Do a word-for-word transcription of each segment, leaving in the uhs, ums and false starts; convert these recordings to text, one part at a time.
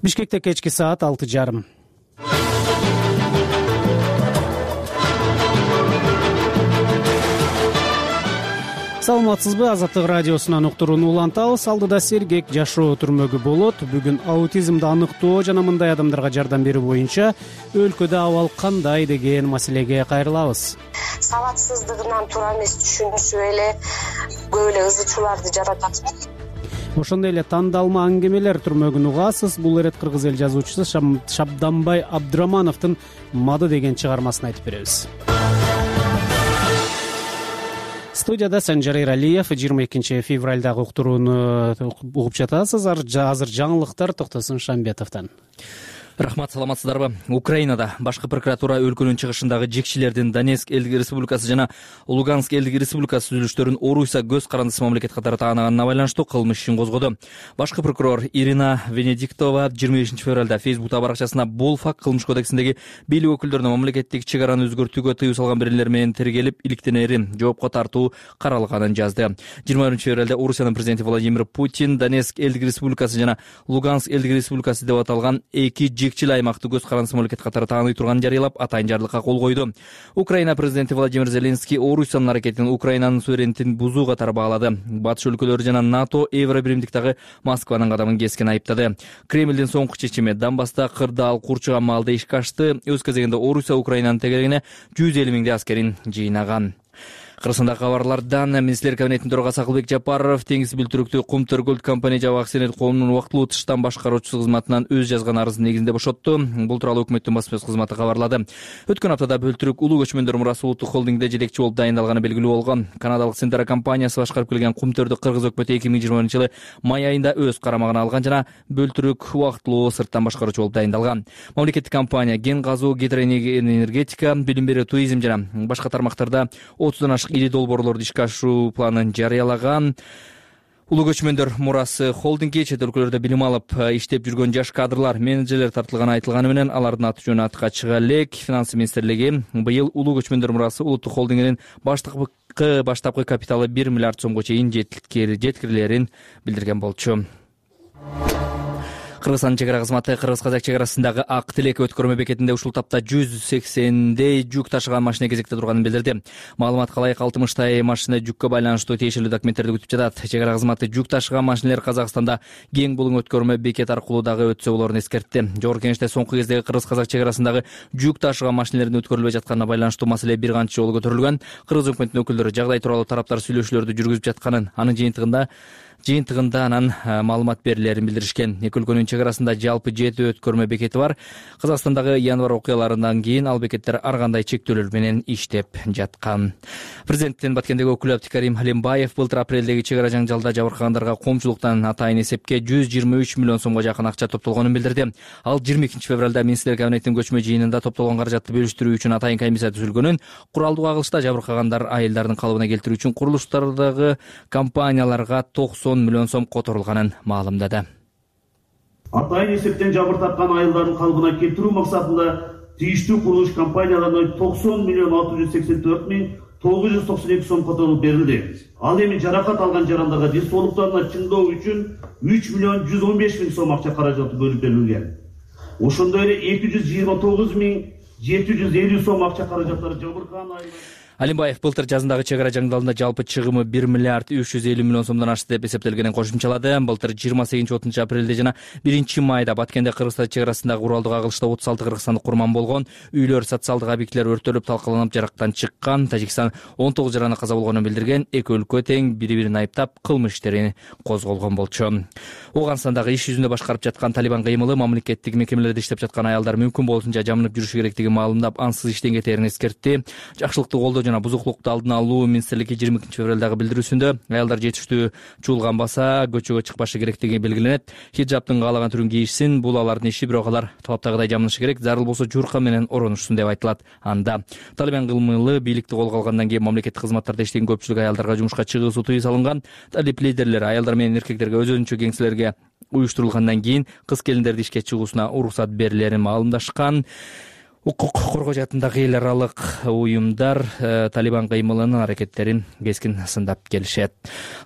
Бишкекте кечки саат алты жарым. Саламатсызбы? Азаттык радиосунан уктурууну улантабыз. Алдыда сергек жашоо түрмөгү болот. Бүгүн аутизмди аныктоо жана мындай адамдарга жардам берүү боюнча өлкөдө абал кандай деген маселеге кайрылабыз. Сабатсыздыгынан туура эмес түшүнүшүп эле көп эле ызы чууларды жаратат. Ошондой эле тандалма аңгемелер түрмөгүн угасыз. Бул эрет кыргыз эл жазуучусу Шабданбай Абдырамановдун Мады деген чыгармасын айтып беребиз. Студияда Санжар Эралиев. жыйырма экинчи февралдагы уктурууну угуп жатасыз. Азыр жаңылыктар Токтосун Шамбетовдон. Рахмат, саламатсыздарбы? Украинада башкы прокуратура өлкөнүн чыгышындагы жекчилердин Донецк элдик республикасы жана Луганск элдик республикасы түзүлүштөрүн Орусия көз карандысы мамлекет катары тааныганына байланыштуу кылмыш ишин козгоду. Башкы прокурор Ирина Венедиктова жыйырма бешинчи февралда Facebook баракчасына бул факт кылмыш кодексиндеги бийлик өкүлдөрүнө мамлекеттик чек араны өзгөртүүгө тыюу салган бирелер менен тергелип, иликтенери жоопко тартуу каралганын жазды. жыйырма биринчи февралда Орусиянын президенти Владимир Путин Донецк элдик республикасы жана Луганск элдик республикасы деп аталган эки жекчил аймакты көз карандысы мамлекет катары тааный турганын жарыялап, атайын жарлыкка кол койду. Украина президенти Владимир Зеленский Орусиянын аракетин Украинанын суверенитетин бузуу катары баалады. Батыш өлкөлөрү жана НАТО Евробиримдиктагы Москванын кадамын кескен айыптады. Кремлдин соңку чечими Донбасста кырдаал курчуган маалда ишке ашты. Өз кезегинде Орусия Украинанын тегерегине жүз элүү миңдей аскерин жыйнаган. Кыргызстандагы кабарлардан министрлер кабинетинин төрагасы Акылбек Жапаров теңиз бүлтүрүктүү Кумтөркөлд компания жабык акционерлик коомунун убактылуу тыштан башкаруучусу кызматынан өз жазган арызынын негизинде бошотту. Бул тууралуу өкмөттүн басма сөз кызматы кабарлады. Өткөн аптада Бөлтүрүк улуу көчмөндөр мурасы улуттук холдингде жетекчи болуп дайындалганы белгилүү болгон. Канадалык Сентера компаниясы башкарып келген Кумтөрдү кыргыз өкмөтү эки миң жыйырма биринчи жылы май айында өз карамагына алган жана Бөлтүрүк убактылуу сырттан башкаруучу болуп дайындалган. Мамлекеттик компания кен казуу, гидроэнергетика, билим берүү, туризм жана башка тармактарда отуздан ашык ири долбоорлорду ишке ашыруу планын жарыялаган. Улуу көчмөндөр мурасы холдингге чет өлкөлөрдө билим алып иштеп жүргөн жаш кадрлар, менеджерлер тартылганы айтылганы менен алардын аты жөнү атка чыга элек. Финансы министрлиги быйыл улуу көчмөндөр мурасы улуттук холдингинин баштапкы баштапкы капиталы бир миллиард сомго чейин жеткирилерин билдирген болчу. Кыргызстандын чек ара кызматы Кыргыз-Казак чек арасындагы Ак Тилек өткөрмө бекетинде ушул тапта жүз сексендей жүк ташыган машина кезекте турганын билдирди. Маалыматка ылайык алтымыштай машина жүккө байланыштуу тиешелүү документтерди күтүп жатат. Чек ара кызматы жүк ташыган машинелер Казакстанда кең булуң өткөрмө бекет аркылуу дагы өтсө болорун эскертти. Жогорку Кеңеште соңку кездеги Кыргыз-Казак чек арасындагы жүк ташыган машинелердин өткөрүлбөй жатканына байланыштуу маселе бир канча жолу көтөрүлгөн. Кыргыз өкмөтүнүн өкүлдөрү жагдай тууралуу тараптар сүйлөшүүлөрдү жүргүзүп жатканын, анын жыйынтыгында жыйынтыгында анан маалымат берилерин билдиришкен. Эки өлкөнүн чек арасында жалпы жети өткөрмө бекети бар. Казакстандагы январь окуяларынан кийин ал бекеттер ар кандай чектөөлөр менен иштеп жаткан. Президенттин Баткендеги өкүлү Абдикарим Халимбаев былтыр апрелдеги чек ара жаңжалда жабыркагандарга коомчулуктан атайын эсепке жүз жыйырма үч миллион сомго жакын акча топтолгонун билдирди. Ал жыйырма экинчи февралда министрлер кабинетинин көчмө жыйынында топтолгон каражатты бөлүштүрүү үчүн атайын комиссия түзүлгөнүн, куралдуу агылышта жабыркагандар айылдардын калыбына келтирүү үчүн курулуштардагы компанияларга токсон миллион сом которулганын маалымдады. Атайын эсептен жабыр тапкан айылдардын калыбына келтирүү максатында тийиштүү курулуш компанияларына токсон миллион алты жүз сексен төрт миң тогуз жүз токсон эки сом которулуп берилди. Ал эми жаракат алган жарандарга ден соолуктарына чыңдоо үчүн үч миллион жүз он беш миң сом акча каражаты бөлүп берилген. Ошондой эле эки жүз жыйырма тогуз миң жети жүз элүү сом акча каражаттары жабыркаган айылдар. Алимбаев былтыр жазындагы чек ара жаңдалында жалпы чыгымы бир миллиард үч жүз элүү миллион сомдон ашты деп эсептелгенин кошумчалады. Былтыр жыйырма сегизинчи отузунчу апрелде жана биринчи майда Баткенде Кыргызстан чек арасындагы куралдуу агылышта отуз алты кыргызстандык курман болгон. Үйлөр, социалдык объектилер өрттөлүп, талкаланып, жарактан чыккан. Тажикстан он тогуз жараны каза болгонун билдирген. Эки өлкө тең бири-бирин айыптап кылмыш иштерин козголгон болчу. Афганстандагы иш жүзүндө башкарып жаткан Талибан кыймылы мамлекеттик мекемелерде иштеп жаткан аялдар мүмкүн болушунча жамынып жүрүшү керектигин маалымдап, ансыз иштен кетээрин эскертти. Жакшылыкты колдоо жана бузуклукту алдын алуу министрлиги жыйырма экинчи февралдагы билдирүүсүндө аялдар жетиштүү чуулганбаса көчөгө чыкпашы керектиги белгиленет. Хиджабтын каалаган түрүн кийишсин, бул алардын иши, бирок алар талаптагыдай жамынышы керек, зарыл болсо журка менен оронушсун деп айтылат. Анда Талибан кыймылы бийликти колго алгандан кийин мамлекеттик кызматтарда иштеген көпчүлүк аялдарга жумушка чыгуусу тыюу салынган. Талиб лидерлери аялдар менен эркектерге өз-өзүнчө кеңселерге уюштурулгандан кийин кыз келиндерди ишке чыгуусуна уруксат берилерин маалымдашкан. Укук коргоо жаатындагы эл аралык уюмдар Талибан кыймылынын аракеттерин кескин сындап келишет.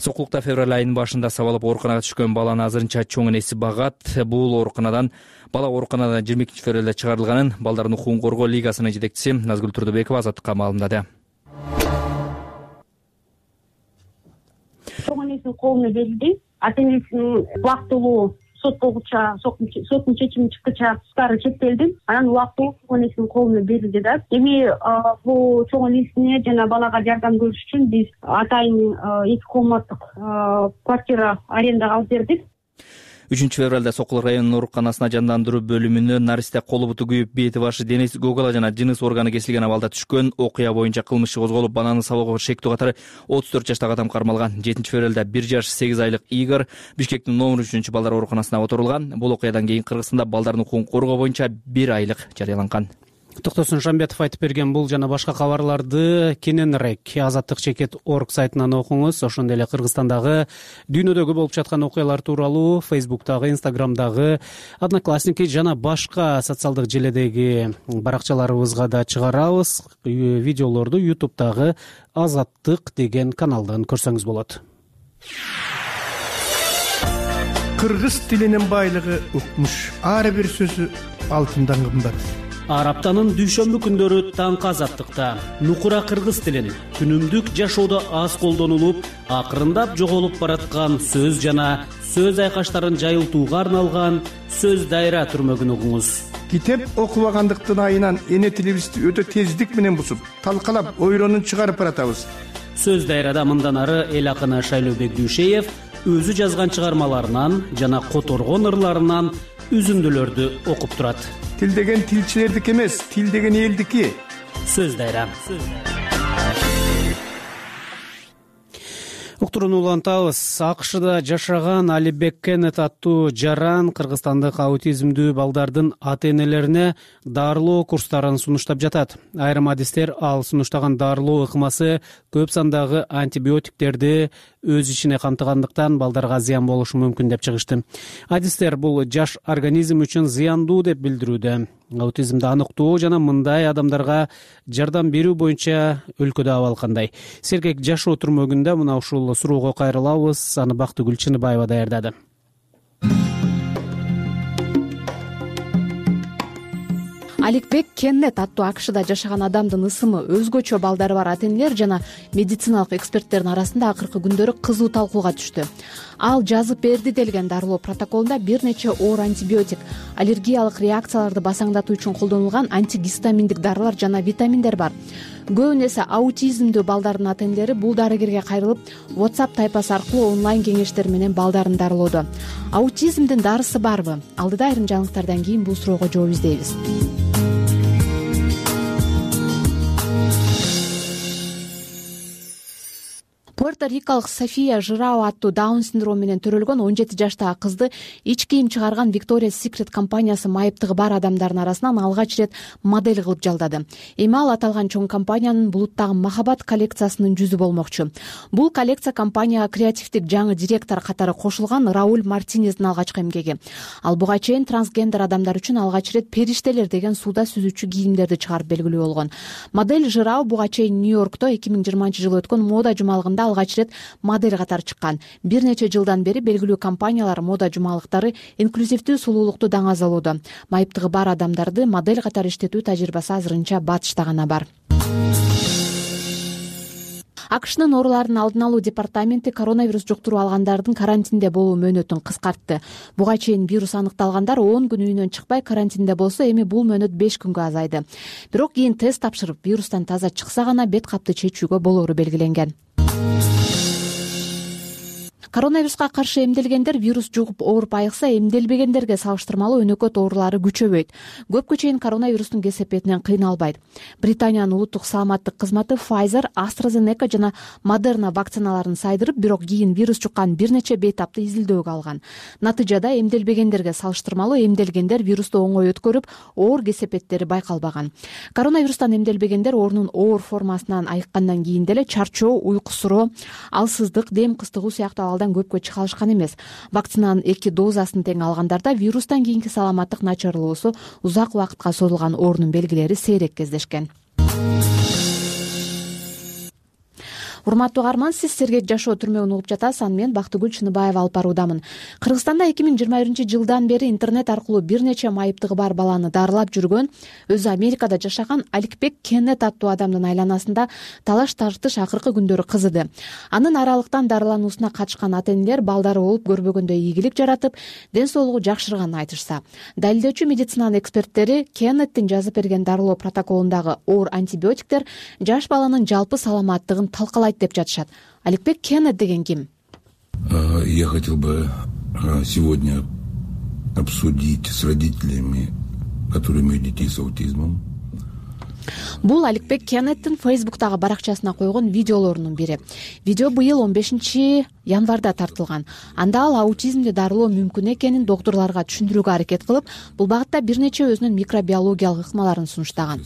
Сокулукта февраль айынын башында сабалып ооруканага түшкөн баланы азырынча чоң энеси багат. Бул ооруканадан бала ооруканадан жыйырма экинчи февралда чыгарылганын Балдардын укугун коргоо лигасынын жетекчиси Назгүл Турдубекова Азаттыкка маалымдады. Чоң энесинин колуна берилди. Ата энесинин убактылуу сот болгуча соттун чечими чыккыча туткары чектелди. Анан убактылуу чоң энесинин колуна берилди да. Эми бул чоң энесине жана балага жардам көрүш үчүн биз атайын эки комнаттык квартира арендага алып бердик. үчүнчү февралда Сокул районунун ооруканасына жандандыруу бөлүмүнө наристе колу буту күйүп, бети башы денеси гогала жана жыныс органы кесилген абалда түшкөн. Окуя боюнча кылмыш иши козголуп, баланы сабоого шектүү катары отуз төрт жаштагы адам кармалган. жетинчи февралда бир жаш сегиз айлык Игорь Бишкектин номер үчүнчү балдар ооруканасына отурулган. Бул окуядан кийин Кыргызстанда балдардын укугун коргоо боюнча бир айлык жарыяланган. Токтосун Шамбетов айтып берген бул жана башка кабарларды кененирээк Азаттык чекит точка орг сайтынан окуңуз. Ошондой эле Кыргызстандагы дүйнөдөгү болуп жаткан окуялар тууралуу Фейсбуктагы, Инстаграмдагы, Одноклассники жана башка социалдык желедеги баракчаларыбызга да чыгарабыз. Видеолорду ютубтагы Азаттык деген каналдан көрсөңүз болот. Кыргыз тилинин байлыгы укмуш. Ар бир сөзү алтындан кымбат. Ар аптанын дүйшөмбү күндөрү таңкы Азаттыкта нукура кыргыз тилин күнүмдүк жашоодо аз колдонулуп, акырындап жоголуп бараткан сөз жана сөз айкаштарын жайылтууга арналган сөз дайра түрмөгүн угуңуз. Китеп окубагандыктын айынан эне тилибизди өтө тездик менен бусуп, талкалап, ойронун чыгарып баратабыз. Сөз дайрада мындан ары эл акыны Шайлообек Дүйшеев өзү жазган чыгармаларынан жана которгон ырларынан үзүндүлөрдү окуп турат. Тил деген тилчилердики эмес, тил деген элдики. Сөз дайра. Уктурууну улантабыз. АКШда жашаган Алибек Кеннет аттуу жаран кыргызстандык аутизмдүү балдардын ата-энелерине дарылоо курстарын сунуштап жатат. Айрым адистер ал сунуштаган дарылоо ыкмасы көп сандагы антибиотиктерди өз ичине камтыгандыктан балдарга зыян болушу мүмкүн деп чыгышты. Адистер бул жаш организм үчүн зыяндуу деп билдирүүдө. Аутизмди аныктоо жана мындай адамдарга жардам берүү боюнча өлкөдө абал кандай? Сергек жашоо түрмөгүндө мына ушул суроого кайрылабыз. Аны Бактыгүл Чыныбаева даярдады. Алибек Кеннет аттуу АКШда жашаган адамдын ысымы өзгөчө балдары бар ата-энелер жана медициналык эксперттердин арасында акыркы күндөрү кызуу талкууга түштү. Ал жазып берди делген дарылоо протоколунда бир нече оор антибиотик, аллергиялык реакцияларды басаңдатуу үчүн колдонулган антигистаминдик дарылар жана витаминдер бар. Көбүнесе аутизмдүү балдардын ата-энелери бул дарыгерге кайрылып, WhatsApp тайпасы аркылуу онлайн кеңештер менен балдарын дарылоодо. Аутизмдин дарысы барбы? Алдыда айрым жаңылыктардан кийин бул суроого жооп издейбиз. Пуэрто-рикалык София Жирао аттуу Даун синдрому менен төрөлгөн он жети жаштагы кызды ич кийим чыгарган Victoria's Secret компаниясы майыптыгы бар адамдардын арасынан алгач ирет модель кылып жалдады. Эми ал аталган чоң компаниянын булуттагы махабат коллекциясынын жүзү болмокчу. Бул коллекция компанияга креативдик жаңы директор катары кошулган Рауль Мартинездин алгачкы эмгеги. Ал буга чейин трансгендер адамдар үчүн алгач ирет периштелер деген сууда сүзүүчү кийимдерди чыгарып белгилүү болгон. Модель Жирао буга чейин Нью-Йоркто эки миң жыйырманчы жылы өткөн мода жумалыгында алгач ирет модель катары чыккан. Бир нече жылдан бери белгилүү компаниялар мода жумалыктары инклюзивдүү сулуулукту даңазалоодо. Майыптыгы бар адамдарды модель катары иштетүү тажрыйбасы азырынча батышта гана бар. АКШнын оорулардын алдын алуу департаменти коронавирус жуктуруу алгандардын карантинде болуу мөөнөтүн кыскартты. Буга чейин вирус аныкталгандар он күн үйүнөн чыкпай карантинде болсо, эми бул мөөнөт беш күнгө азайды. Бирок кийин тест тапшырып, вирустан таза чыкса гана бет капты чечүүгө болоору белгиленген. Коронавируска каршы эмделгендер вирус жугуп ооруп айыкса, эмделбегендерге салыштырмалуу өнөкөт оорулары күчөбөйт. Көпкө чейин коронавирустун кесепетинен кыйналбайт. Британиянын улуттук саламаттык кызматы Pfizer, AstraZeneca жана Moderna вакциналарын сайдырып, бирок кийин вирус жуккан бир нече бейтапты изилдөөгө алган. Натыйжада эмделбегендерге салыштырмалуу эмделгендер вирусту оңой өткөрүп, оор кесепеттери байкалбаган. Коронавирустан эмделбегендер оорунун оор формасынан айыккандан кийин деле чарчоо, уйку суроо, алсыздык, дем кыстыгуу сыяктуу абалдар ооругандардан көпкө чыга алышкан эмес. Вакцинанын эки дозасын тең алгандарда вирустан кийинки саламаттык начарлоосу узак убакытка созулган оорунун белгилери сейрек кездешкен. Урматтуу угарман, сиз Сергек жашоо түрмөгүн угуп жатасыз. Аны мен Бактыгүл Чыныбаева алып баруудамын. Кыргызстанда эки миң жыйырма биринчи жылдан бери интернет аркылуу бир нече майыптыгы бар баланы дарылап жүргөн, өзү Америкада жашаган Аликбек Кеннет аттуу адамдын айланасында талаш тартыш акыркы күндөрү кызыды. Анын аралыктан дарылануусуна катышкан ата-энелер балдары болуп көрбөгөндөй ийгилик жаратып, ден соолугу жакшырганын айтышса, далилдөөчү медицинанын эксперттери Кеннеттин жазып берген дарылоо протоколундагы оор антибиотиктер жаш баланын жалпы саламаттыгын талкалайт деп жатышат. Аликбек Кеннет деген ким? Я хотел бы сегодня обсудить с родителями, которые имеют детей с аутизмом. Бул Аликбек Кеннеттин Фейсбуктагы баракчасына койгон видеолорунун бири. Видео быйыл он бешинчи январда тартылган. Анда ал аутизмди дарылоо мүмкүн экенин доктурларга түшүндүрүүгө аракет кылып, бул багытта бир нече өзүнүн микробиологиялык ыкмаларын сунуштаган.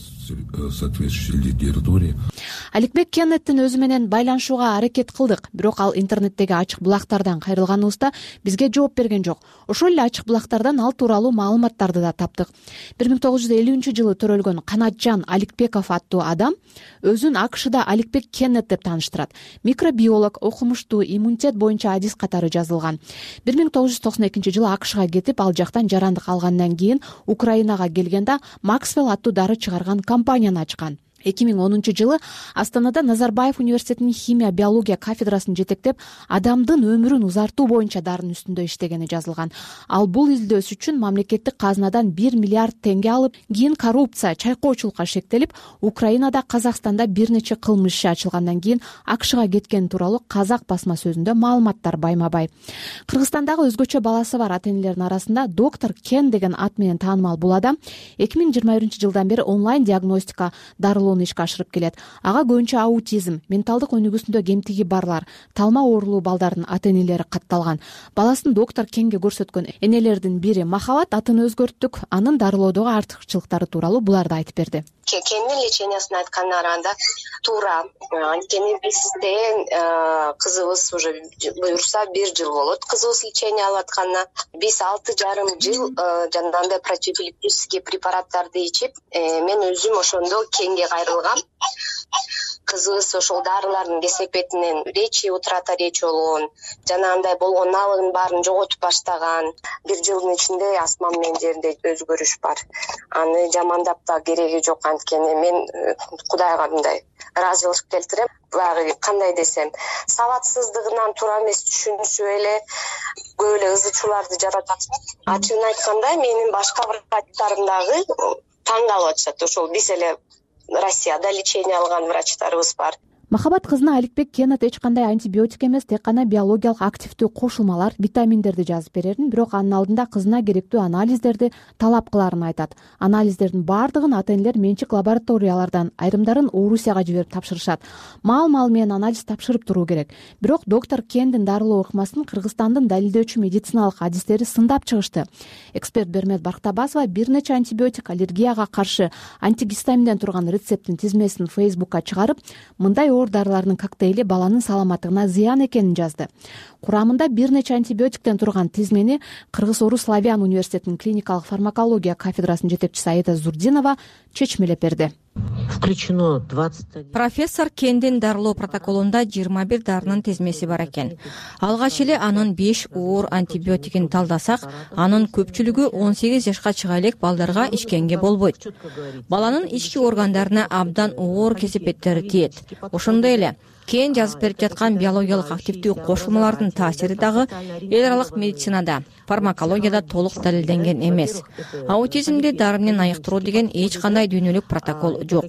Аликбек Кеннеттин өзү менен байланышууга аракет кылдык, бирок ал интернеттеги ачык булактардан кайрылганыбызда бизге жооп берген жок. Ошол эле ачык булактардан ал тууралуу маалыматтарды да таптык. бир миң тогуз жүз элүүнчү жылы төрөлгөн Канатжан Аликбеков аттуу адам өзүн АКШда Аликбек Кеннет деп тааныштырат. Микробиолог, окумуштуу, иммунитет боюнча адис катары жазылган. бир миң тогуз жүз токсон экинчи жылы АКШга кетип, ал жактан жарандык алгандан кийин Украинага келгенде Максвелл аттуу дары чыгарган компанияны ачкан. эки миң онунчу жылы Астанада Назарбаев университетинин химия биология кафедрасын жетектеп, адамдын өмүрүн узартуу боюнча дарынын үстүндө иштегени жазылган. Ал бул изилдөөсү үчүн мамлекеттик казынадан бир миллиард теңге алып, кийин коррупция, чайкоочулукка шектелип, Украинада, Казакстанда бир нече кылмыш иши ачылгандан кийин АКШга кеткени тууралуу Казак басма сөзүндө маалыматтар байма-бай. Кыргызстандагы өзгөчө баласы бар ата-энелердин арасында доктор Кен деген ат менен таанымал бул адам эки миң жыйырма биринчи жылдан бери онлайн диагностика дарылоо ишке ашырып келет. Ага көбүнчө аутизм, менталдык өнүгүүсүндө кемтиги барлар, талма оорулуу балдардын ата-энелери катталган. Баласын доктор Кенге көрсөткөн энелердин бири Махабат атын өзгөрттүк, анын дарылоодогу артыкчылыктары тууралуу буларды айтып берди. Кеннин лечениясын айтканына караганда туура, анткени бизде кызыбыз уже буюрса бир жыл болот. Кызыбыз лечение алып атканына биз алты жарым жыл жанагындай противоэпилептический препараттарды ичип, мен өзүм ошондо Кенге кайрылгам. Кызыбыз ошол дарылардын кесепетинен речи утрата речи болгон, жанагындай болгон налыгын баарын жоготуп баштаган. Бир жылдын ичинде асман менен жерде өзгөрүш бар. Аны жамандап да кереги жок, анткени мен Кудайга мындай ыраазычылык келтирем. Баягы кандай десем, сабатсыздыгынан туура эмес түшүнүшүп эле көп эле ызычууларды жаратат. Ачыгын айтканда, менин башка врачтарым дагы таң калып атышат. Ошол биз эле Россияда лечение алган врачтарыбыз бар. Махабат кызына Аликбек Кеннет эч кандай антибиотик эмес, тек гана биологиялык активдүү кошулмалар, витаминдерди жазып берерин, бирок анын алдында кызына керектүү анализдерди талап кыларын айтат. Анализдердин баардыгын ата-энелер менчик лабораториялардан, айрымдарын Орусияга жиберип тапшырышат. Маал-маал менен анализ тапшырып туруу керек. Бирок доктор Кендин дарылоо ыкмасын Кыргызстандын далилдөөчү медициналык адистери сындап чыгышты. Эксперт Бермет Бактабасова бир нече антибиотик, аллергияга каршы антигистаминден турган рецепттин тизмесин Фейсбукка чыгарып, мындай оор дарылардын коктейли баланын саламаттыгына зыян экенин жазды. Курамында бир нече антибиотиктен турган тизмени Кыргыз-Орус Славян университетинин клиникалык фармакология кафедрасынын жетекчиси Аида Зурдинова чечмелеп берди. Включено двадцать. Профессор Кендин дарылоо протоколунда жыйырма бир дарынын тизмеси бар экен. Алгач эле анын беш оор антибиотигин талдасак, анын көпчүлүгү он сегиз жашка чыга элек балдарга ичкенге болбойт. Баланын ички органдарына абдан оор кесепеттери тиет. Ошондой эле Кен жазып берип жаткан биологиялык активдүү кошулмалардын таасири дагы эл аралык медицинада, фармакологияда толук далилденген эмес. Аутизмди дары менен айыктыруу деген эч кандай дүйнөлүк протокол жок.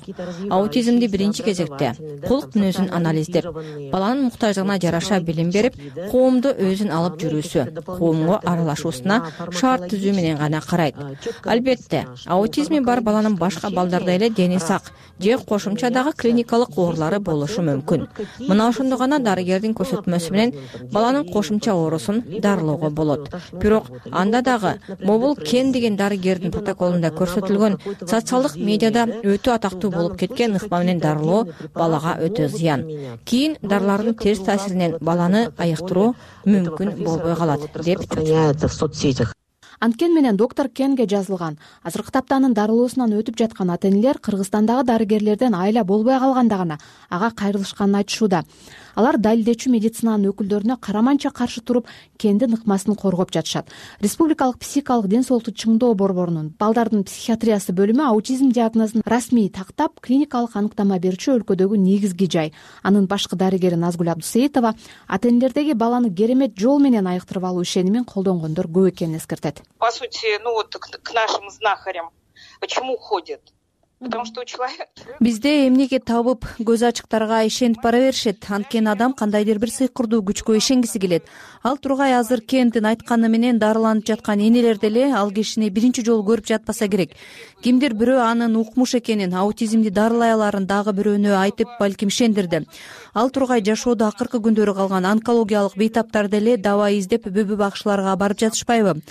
Аутизмди биринчи кезекте кулк мүнөзүн анализдеп, баланын муктаждыгына жараша билим берип, коомду өзүн алып жүрүүсү, коомго аралашуусуна шарт түзүү менен гана карайт. Албетте, аутизми бар баланын башка балдардай эле дени сак же кошумча дагы клиникалык оорулары болушу мүмкүн. Мына ошондо гана дарыгердин көрсөтмөсү менен баланын кошумча оорусун дарылоого болот. Бирок анда дагы Мобул Кен деген дарыгердин протоколунда көрсөтүлгөн социалдык медиада өтө атактуу болуп кеткен ыкма менен дарылоо балага өтө зыян. Кийин дарылардын терс таасиринен баланы айыктыруу мүмкүн болбой калат деп в соцсетях. Анткени менен доктор Кенге жазылган. Азыркы тапта анын дарылоосунан өтүп жаткан ата-энелер Кыргызстандагы дарыгерлерден айла болбой калганда гана ага кайрылышканын айтышууда. Алар далилдечү медицинанын өкүлдөрүнө караманча каршы туруп, Кендин ыкмасын коргоп жатышат. Республикалык психикалык ден соолукту чыңдоо борборунун балдардын психиатриясы бөлүмү аутизм диагнозун расмий тактап, клиникалык аныктама берүүчү өлкөдөгү негизги жай. Анын башкы дарыгери Назгүл Абдусейитова ата-энелердеги баланы керемет жол менен айыктырып алуу ишенимин колдонгондор көп экенин эскертет. По сути, ну вот к нашим знахарям почему ходят? Потому что у человека бизде эмнеге табып көз ачыктарга ишенип бара беришет. Анткени адам кандайдыр бир сыйкырдуу күчкө ишенгиси келет. Ал тургай азыр Кендин айтканы менен дарыланып жаткан энелер деле ал кишини биринчи жолу көрүп жатпаса керек. Кимдир бирөө анын укмуш экенин, аутизмди дарылай аларын дагы бирөөнө айтып, балким ишендирди. Ал тургай жашоодо акыркы күндөрү калган онкологиялык бейтаптар деле даба издеп бүбү бакчыларга барып жатышпайбы?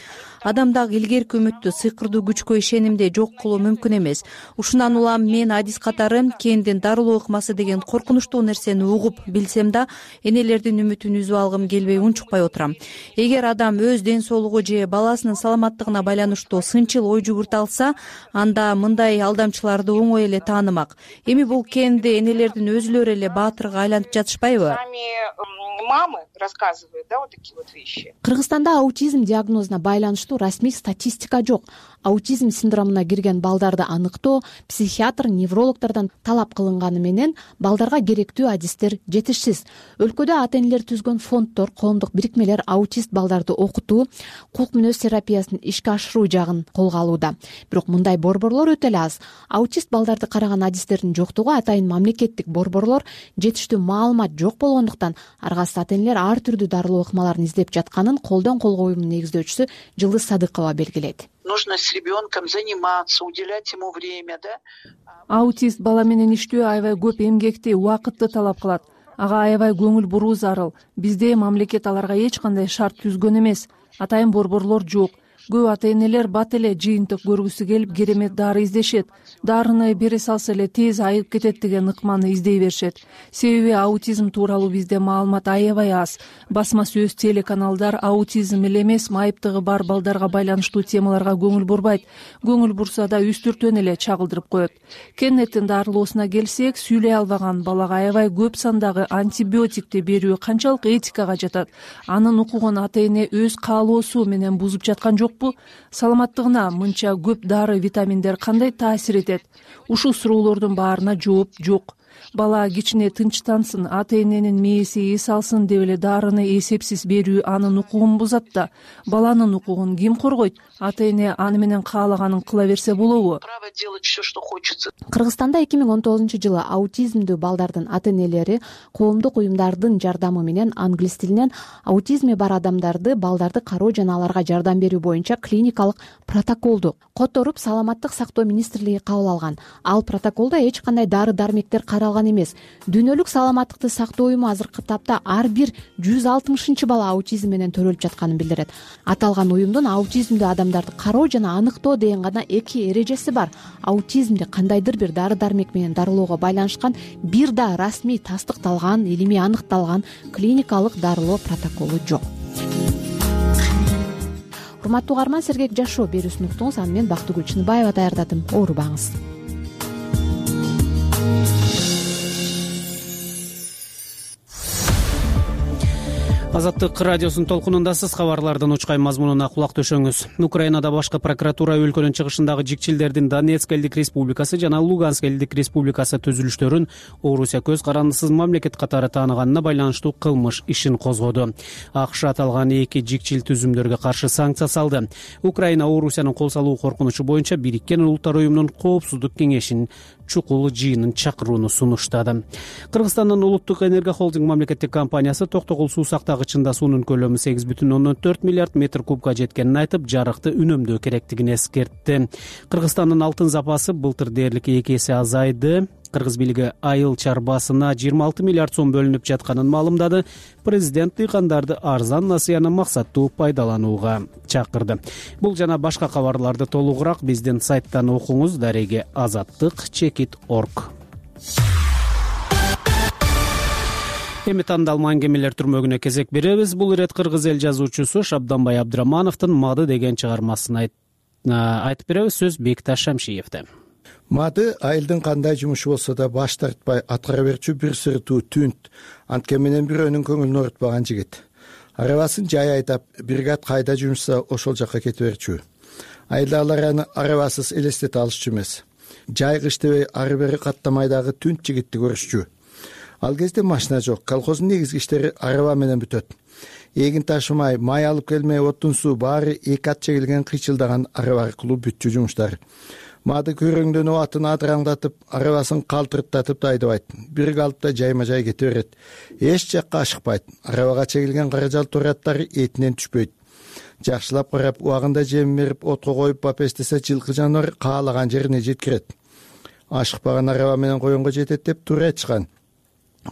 Адамдагы илгерки үмүттү, сыйкырдуу күчкө ишенимди жок кылуу мүмкүн эмес. Ушундан улам мен адис катары Кендин дарылоо ыкмасы деген коркунучтуу нерсени угуп билсем да, энелердин үмүтүн үзүп алгым келбей унчукпай отурам. Эгер адам өз ден соолугу же баласынын саламаттыгына байланыштуу сынчыл ой жүгүртө алса, анда мындай алдамчыларды оңой эле таанымак. Эми бул Кенди энелердин өзүлөрү эле баатырга айланып жатышпайбы? Мамы рассказывают, да, вот такие вот вещи. Кыргызстанда аутизм диагнозуна байланыштуу расмий статистика жок. Аутизм синдромуна кирген балдарды аныктоо психиатр, неврологдордон талап кылынганы менен балдарга керектүү адистер жетишсиз. Өлкөдө ата-энелер түзгөн фонддор, коомдук бирикмелер аутист балдарды окутуу, кулк мүнөз терапиясын ишке ашыруу жагын колго алууда. Бирок мындай борборлор өтө эле аз. Аутист балдарды караган адистердин жоктугу атайын мамлекеттик борборлор жетиштүү маалымат жок болгондуктан аргасыз ата-энелер ар түрдүү дарылоо ыкмаларын издеп жатканын Колдон колго уюмунун негиздөөчүсү Жылдыз Садыкова белгилейт. Нужно с ребенком заниматься, уделять ему время, да? Аутист бала менен иштөө аябай көп эмгекти, убакытты талап кылат. Ага аябай көңүл буруу зарыл. Бизде мамлекет аларга эч кандай шарт түзгөн эмес. Атайын борборлор жок. Көп ата-энелер бат эле жыйынтык көргүсү келип керемет дары издешет. Дарыны бере салса эле тез айып кетет деген ыкманы издей беришет. Себеби аутизм тууралуу бизде маалымат аябай аз. Басма сөз телеканалдар аутизм эле эмес, майыптыгы бар балдарга байланыштуу темаларга көңүл бурбайт. Көңүл бурса да үстүртөн эле чагылдырып коет. Кеннеттин дарылоосуна келсек, сүйлөй албаган балага аябай көп сандагы антибиотикти берүү канчалык этикага жатат? Анын укугун ата-эне өз каалоосу менен бузуп жаткан жок. Саламаттыгына мынча көп дары, витаминдер кандай таасир этет? Ушул суроолордун баарына жооп жок. Бала кичине тынчтансын, ата-эненин мээси эс алсын деп эле дарыны эсепсиз берүү анын укугун бузат да. Баланын укугун ким коргойт? Ата-эне аны менен каалаганын кыла берсе болобу? Право делать все, что хочется. Кыргызстанда эки миң он тогузунчу жылы аутизмдүү балдардын ата-энелери коомдук уюмдардын жардамы менен англис тилинен аутизми бар адамдарды, балдарды кароо жана аларга жардам берүү боюнча клиникалык протоколду которуп Саламаттык сактоо министрлиги кабыл алган. Ал протоколдо эч кандай дары-дармектер каралган эмес. Дүйнөлүк саламаттыкты сактоо уюму азыркы тапта ар бир жүз алтымышынчы бала аутизм менен төрөлүп жатканын билдирет. Аталган уюмдун аутизмдүү адамдарды кароо жана аныктоо деген гана эки эрежеси бар. Аутизмди кандайдыр бир дары-дармек менен дарылоого байланышкан бир да расмий тастыкталган, илимий аныкталган клиникалык дарылоо протоколу жок. Урматтуу угарман, Сергек жашоо берүүсүн уктуңуз. Аны мен Бактыгүл Чыныбаева даярдадым. Оорубаңыз. Азаттык радиосунун толкунундасыз. Кабарлардын учкай мазмунуна кулак төшөңүз. Украинада башкы прокуратура өлкөнүн чыгышындагы жикчилдердин Донецк элдик республикасы жана Луганск элдик республикасы түзүлүштөрүн Орусия көз карандысыз мамлекет катары тааныганына байланыштуу кылмыш ишин козгоду. АКШ аталган эки жикчил түзүмдөргө каршы санкция салды. Украина Орусиянын кол салуу коркунучу боюнча Бириккен Улуттар уюмунун коопсуздук кеңешинин чукул жыйынын чакырууну сунуштады. Кыргызстандын улуттук энерго холдинг мамлекеттик компаниясы Токтогул суу сактагыч чарчында суунун көлөмү сегиз бүтүн ондон төрт миллиард метр кубка жеткенин айтып, жарыкты үнөмдөө керектигин эскертти. Кыргызстандын алтын запасы былтыр дээрлик эки эсе азайды. Кыргыз бийлиги айыл чарбасына жыйырма алты миллиард сом бөлүнүп жатканын маалымдады. Президент дыйкандарды арзан насыяны максаттуу пайдаланууга чакырды. Бул жана башка кабарларды толугураак биздин сайттан окуңуз. Дареге азаттык чекит точка орг. Эми тандалма аңгемелер түрмөгүнө кезек беребиз. Бул ирет кыргыз эл жазуучусу Шабданбай Абдырамановдун «Мады» деген чыгармасын айтып беребиз. Сөз Бекташ Шамшиевде. Мады айылдын кандай жумушу болсо да баш тартпай аткара берчү бир сыртуу түнт, анткени менен бирөөнүн көңүлүн оорутпаган жигит. Арабасын жай айдап, бригад кайда жумушса ошол жакка кете берчү. Айылдагылар аны арабасыз элестете алышчу эмес. Жай кыш дебей ары бери каттамайдагы түнт жигитти көрүшчү. Ал кезде машина жок, колхоздун негизги иштери араба менен бүтөт. Эгин ташымай, май алып келмей, отун суу баары эки ат чегилген кыйчылдаган араба аркылуу бүтчү жумуштар. Мады көрөңдөнүп атын адыраңдатып, арабасын калтырттатып да айдабайт. Бир калыпта жайма жай кете берет. Эч жакка ашыкпайт. Арабага чегилген каражал тураттары этинен түшпөйт. Жакшылап карап, убагында жем берип, отко коюп бапестесе жылкы жаныбар каалаган жерине жеткирет. Ашыкпаган араба менен коёнго жетет деп туура айтышкан.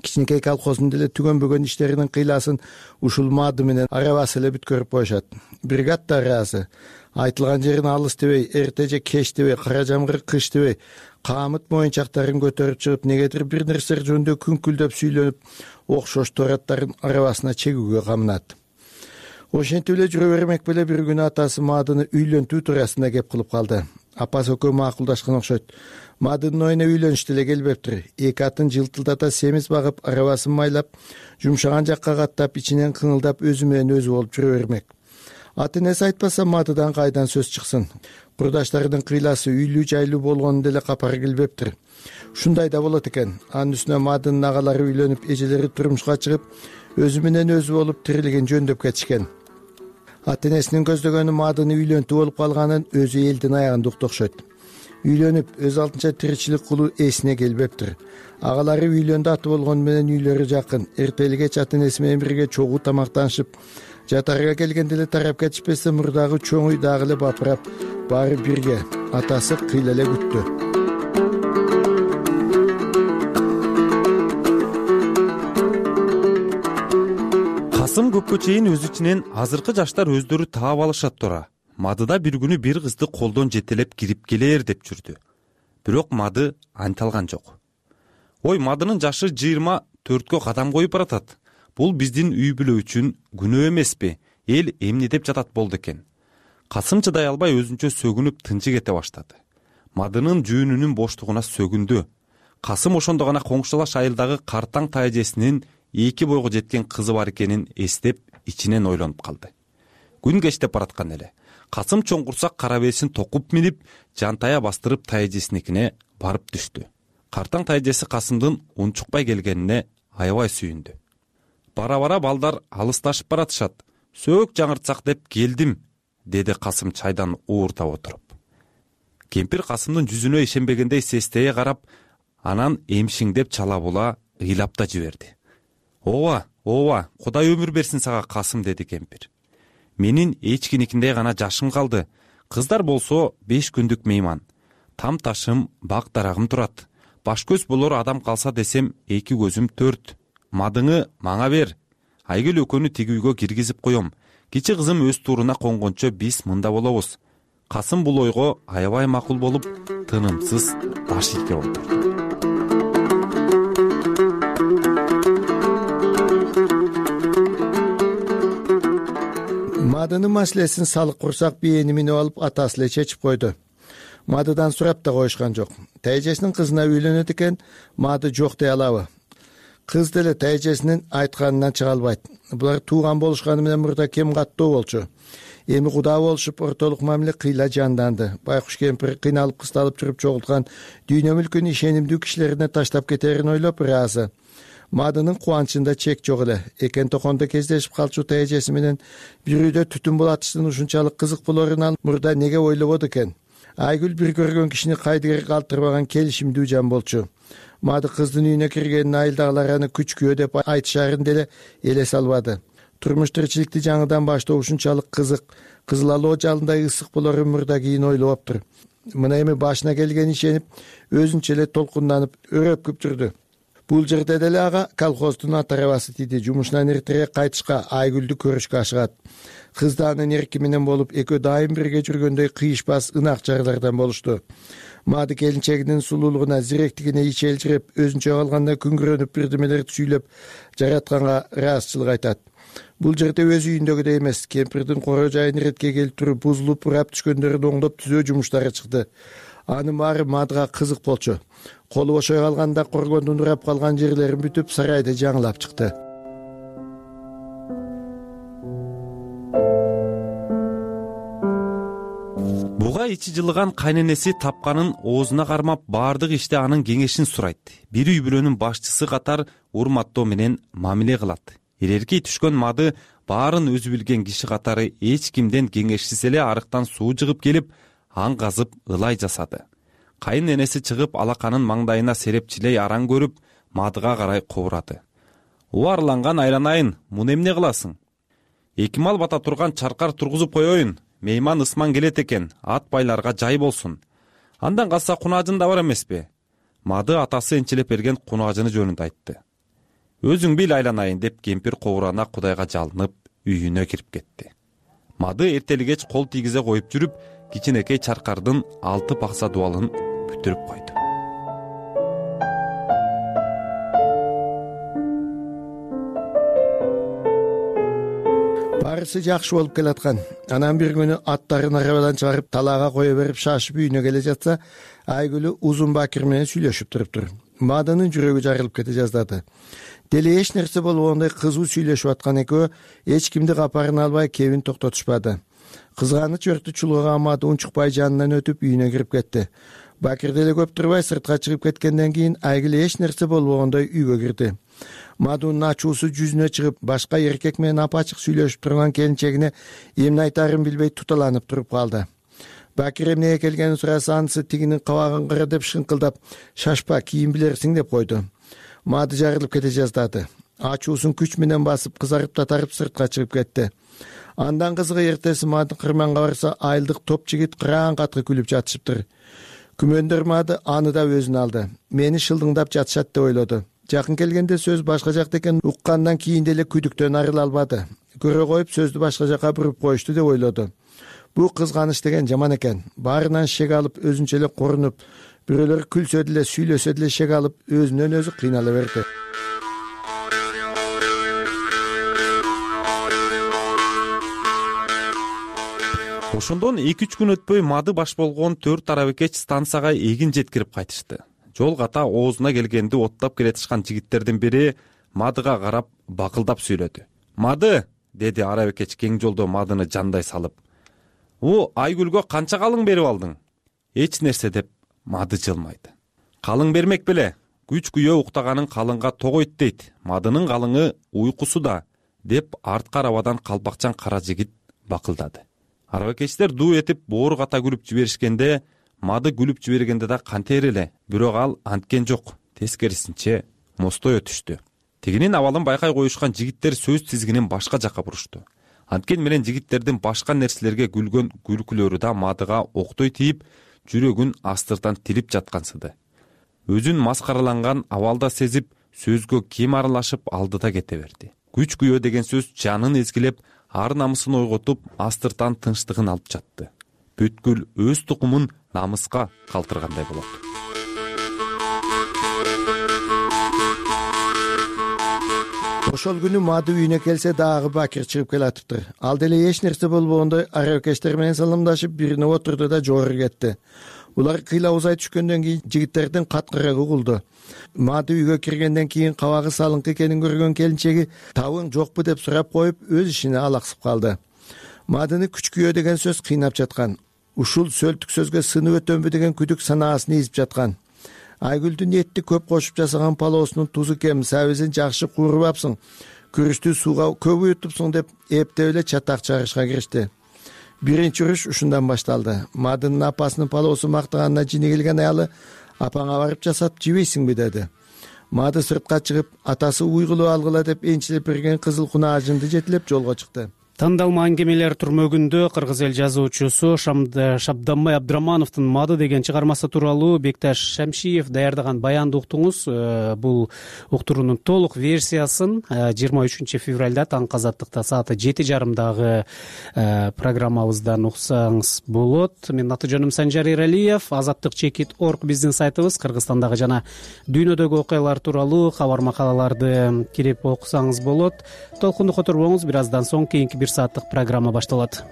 Кичинекей колхоздун деле түгөнбөгөн иштеринин кыйласын ушул Мады менен арабасы эле бүткөрүп коюшат. Бригад да ыраазы. Айтылган жерин алыс дебей, эрте же кеч дебей, кара жамгыр кыш дебей, камыт моюнчактарын көтөрүп чыгып, негедир бир нерсе жөнүндө күңкүлдөп сүйлөнүп, окшош тураттарын арабасына чегүүгө камынат. Ошентип эле жүрө бермек беле бир күнү атасы Мадыны үйлөнтүү туурасында кеп кылып калды. Апасы экөө макулдашкан окшойт. Мадынын оюна үйлөнүш деле келбептир. Эки атын жылтылдата семиз багып, арабасын майлап, жумшаган жакка каттап, ичинен кыңылдап өзү менен өзү болуп жүрө бермек. Аты энеси айтпаса Мадыдан кайдан сөз чыксын. Курдаштарынын кыйласы үйлүү жайлуу болгонун деле капары келбептир. Ушундай да болот экен. Анын үстүнө Мадынын агалары үйлөнүп, эжелери турмушка чыгып, өзү менен өзү болуп тирилигин жөндөп кетишкен. Аты энесинин көздөгөнү Мадыны үйлөнтүү болуп калганын өзү элдин аягында уктокшойт. Үйлөнүп, өз алдынча тиричилик кылуу эсине келбептир. Агалары үйлөндү аты болгону менен үйлөрү жакын. Эртели кеч аты энеси менен бирге чогуу тамактанышып, жатарга келгенде эле тарап кетишпесе, мурдагы чоң үй дагы эле бапырап, баары бирге. Атасы кыйла эле күттү. Касым көпкө чейин өз ичинен азыркы жаштар өздөрү таап алышат тура. Мадыда бир күнү бир кызды колдон жетелеп кирип келер деп жүрдү. Бирок Мады анталган жок. Ой, Мадынын жашы жыйырма төрткө кадам коюп баратат. Бул биздин үй бүлө үчүн күнөө эмеспи? Эл эмне деп жатат болду экен. Касым чыдай албай өзүнчө сөгүнүп тынчы кете баштады. Мадынын жүүнүнүн боштугуна сөгүндү. Касым ошондо гана коңшулаш айылдагы картаң тайжесинин эки бойго жеткен кызы бар экенин эстеп, ичинен ойлонуп калды. Күн кечтеп бараткан эле. Касым чоң курсак кара бесин токуп минип, жантая бастырып тайжесиникине барып түштү. Картаң тайжеси Касымдын унчукпай келгенине аябай сүйүндү. Бара-бара балдар алысташып баратышат. Сөөк жаңыртсак деп келдим, деди Касым чайдан ууртап отуруп. Кемпир Касымдын жүзүнө ишенбегендей сестее карап, анан эмшиңдеп чала була ыйлап да жиберди. Ооба, ооба, Кудай өмүр берсин сага, Касым, деди кемпир. Менин эчкиникиндей гана жашым калды. Кыздар болсо беш күндүк мейман. Там ташым, бак дарагым турат. Баш көз болор адам калса десем, эки көзүм төрт. Мадыңы мага бер. Айгүл экөөнү тиги үйгө киргизип коем. Кичи кызым өз тууруна конгончо биз мында болобуз. Касым бул ойго аябай макул болуп, тынымсыз баш ийгип отурду. Мадынын маселесин салык курсак бийени минип алып атасы эле чечип койду. Мадыдан сурап да коюшкан жок. Тайжесинин кызына үйлөнөт экен, Мады жок дей алабы? Кыз деле тайжесинин айтканынан чыга албайт. Булар тууган болушканы менен мурда кем каттуу болчу. Эми кудаа болушуп, ортолук мамиле кыйла жанданды. Байкуш кемпир кыйналып кысталып жүрүп чогулткан дүйнө мүлкүн ишенимдүү кишилерине таштап кетерин ойлоп ыраазы. Мадынын кубанычында чек жок эле. Экен токондо кездешип калчу тайжеси менен бир үйдө түтүн булатыштын ушунчалык кызык болорун ал мурда неге ойлободу экен? Айгүл бир көргөн кишини кайдыгер калтырбаган келишимдүү жан болчу. Мады кыздын үйүнө киргенин айылдагылар аны күчкүө деп айтышарын деле элес албады. турмуш тиричиликти жаңыдан баштоо ушунчалык кызык, кызыл алоо жалындай ысык болорун мурда кийин ойлоптур. Мына эми башына келгени ишенип, өзүнчө эле толкунданып, өрөпкүп жүрдү. Бул жерде деле ага колхоздун ат арабасы тийди. Жумушунан эртерээк кайтышка, Айгүлдү көрүшкө ашыгат. Кыз да анын эрки менен болуп, экөө дайым бирге жүргөндөй кыйышпас ынак жарлардан болушту. Мады келинчегинин сулуулугуна, зиректигине ич элжиреп, өзүнчө калганда күңгүрөнүп бирдемелерди сүйлөп, жаратканга ыраазычылык айтат. Бул жерде өз үйүндөгүдөй эмес, кемпирдин коро жайын иретке келип туруп, бузулуп, урап түшкөндөрүн оңдоп түзөө жумуштары чыкты. Анын баары Мадыга кызык болчу. Колу бошой калганда коргондун урап калган жерлерин бүтүп, сарайды жаңылап чыкты. Буга ичи жылыган кайненеси тапканын оозуна кармап, баардык иште анын кеңешин сурайт. Бир үй бүлөнүн башчысы катар урматтоо менен мамиле кылат. Ирерки түшкөн Мады баарын өзү билген киши катары эч кимден кеңешсиз эле арыктан суу жыгып келип, аң казып ылай жасады. Кайын энеси чыгып, алаканын маңдайына серепчилей араң көрүп, Мадыга карай кобурады. Убарланган айланайын, муну эмне кыласың? Эки мал бата турган чаркар тургузуп коеюн. Мейман ысман келет экен, ат байларга жай болсун. Андан калса кунаажын да бар эмеспи? Мады атасы энчилеп берген кунаажыны жөнүндө айтты. Өзүң бил айланайын деп кемпир кобурана Кудайга жалынып, үйүнө кирип кетти. Мады эртелигеч кол тийгизе коюп жүрүп, кичинекей чаркардын алты пакса дубалын бүтүрүп койду. Барысы жакшы болуп келаткан. Анан бир күнү аттарын арабадан чыгарып, талаага кое берип шашып үйүнө келе жатса, Айгүлү Узун Бакир менен сүйлөшүп туруптур. Мадынын жүрөгү жарылып кете жаздады. Деле эч нерсе болбогондой кызуу сүйлөшүп аткан экөө эч кимди капарын албай кебин токтотушпады. Кызганыч өртү чулгаган Мады унчукпай жанынан өтүп үйүнө кирип кетти. Бакир деле көп турбай сыртка чыгып кеткенден кийин Айгүл эч нерсе болбогондой үйгө кирди. Мадунун ачуусу жүзүнө чыгып, башка эркек менен апачык сүйлөшүп турган келинчегине эмне айтаарын билбей туталанып туруп калды. Бакир эмнеге келгенин сураса, анысы тигинин кабагын кыра деп шыңкылдап, шашпа, кийин билерсиң деп койду. Мады жарылып кете жаздады. Ачуусун күч менен басып, кызарып татарып сыртка чыгып кетти. Андан кызыгы эртеси Мады кырманга барса, айылдык топ жигит кыраан катка күлүп жатышыптыр. Күмөндөр Мады аны да өзүнө алды. Мени шылдыңдап жатышат деп ойлоду. Жакын келгенде сөз башка жакта экенин уккандан кийин деле күдүктөн арыла албады. Көрө коюп сөздү башка жака буруп коюшту деп ойлоду. Бул кызганыч деген жаман экен. Баарынан шек алып, өзүнчө эле корунуп, бирөөлөр күлсө деле, сүйлөсө деле шек алып, өзүнөн өзү кыйнала берди. Ошондон эки үч күн өтпөй Мады баш болгон төрт арабекеч станцияга эгин жеткирип кайтышты. Жол ката оозуна келгенди оттап келатышкан жигиттердин бири Мадыга карап бакылдап сүйлөдү. Мады, деди арабекеч кең жолдо Мадыны жандай салып. У Айгүлгө канча калың берип алдың? Эч нерсе деп Мады жылмайды. Калың бермек беле? Күч күйөө уктаганын калыңга тогойт дейт. Мадынын калыңы уйкусуда, деп артка арабадан калпакчан кара жигит бакылдады. Арабекечтер дуу этип боору ката күлүп жиберишкенде, Мады күлүп жибергенде да кантер эле, бирок ал анткен жок, тескерисинче мостой өтүштү. Тигинин абалын байкай коюшкан жигиттер сөз тизгинин башка жакка бурушту. Анткен менен жигиттердин башка нерселерге күлгөн күлкүлөрү да Мадыга октой тийип, жүрөгүн астыртан тилип жаткансыды. Өзүн маскараланган абалда сезип, сөзгө кем аралашып алдыда кете берди. Күч күйөө деген сөз жанын эзгилеп, ар намысын ойготуп, астыртан тынчтыгын алып жатты. Бүткүл өз тукумун намыска калтыргандай болот. Ошол күнү Мады үйүнө келсе дагы Бакир чыгып келатыптыр. Ал деле эч нерсе болбогондой арабекештер менен саламдашып, бирине отурду да жогору кетти. Улар кыйла узай түшкөндөн кийин жигиттердин каткырыгы угулду. Мады үйгө киргенден кийин кабагы салыңкы экенин көргөн келинчеги табың жокпу деп сурап коюп, өз ишине алаксып калды. Мадыны күч күйөө деген сөз кыйнап жаткан. Ушул сөлтүк сөзгө сынып өтөмбү деген күдүк санаасын изип жаткан. Айгүлдүн этти көп кошуп жасаган палоосунун тузу кем, сабизин жакшы куурбапсың, күрүчтү сууга көп уютупсуң деп эптеп эле чатак чыгарышка киришти. Биринчи уруш ушундан башталды. Мадынын апасынын палоосу мактаганына жини келген аялы: "Апаңа барып жасап жибейсиңби?" деди. мады сыртка чыгып атасы уйгулуп алгыла деп энчилеп берген кызыл кунаажынды жетелеп жолго чыкты. Тандалма аңгемелер түрмөгүндө кыргыз эл жазуучусу Шабданбай Абдырамановдун Мады деген чыгармасы тууралуу Бекташ Шамшиев даярдаган баянды уктуңуз. Бул уктуруунун толук версиясын жыйырма үчүнчү февралда таңкы Азаттыкта сааты жети жарымдагы программабыздан уксаңыз болот. Менин аты жөнүм Санжар Эралиев. Азаттык чекит орг биздин сайтыбыз. Кыргызстандагы жана дүйнөдөгү окуялар тууралуу кабар макалаларды кирип окусаңыз болот. Толкунду которбоңуз, бир аздан соң кийинки бир сааттык программа башталат.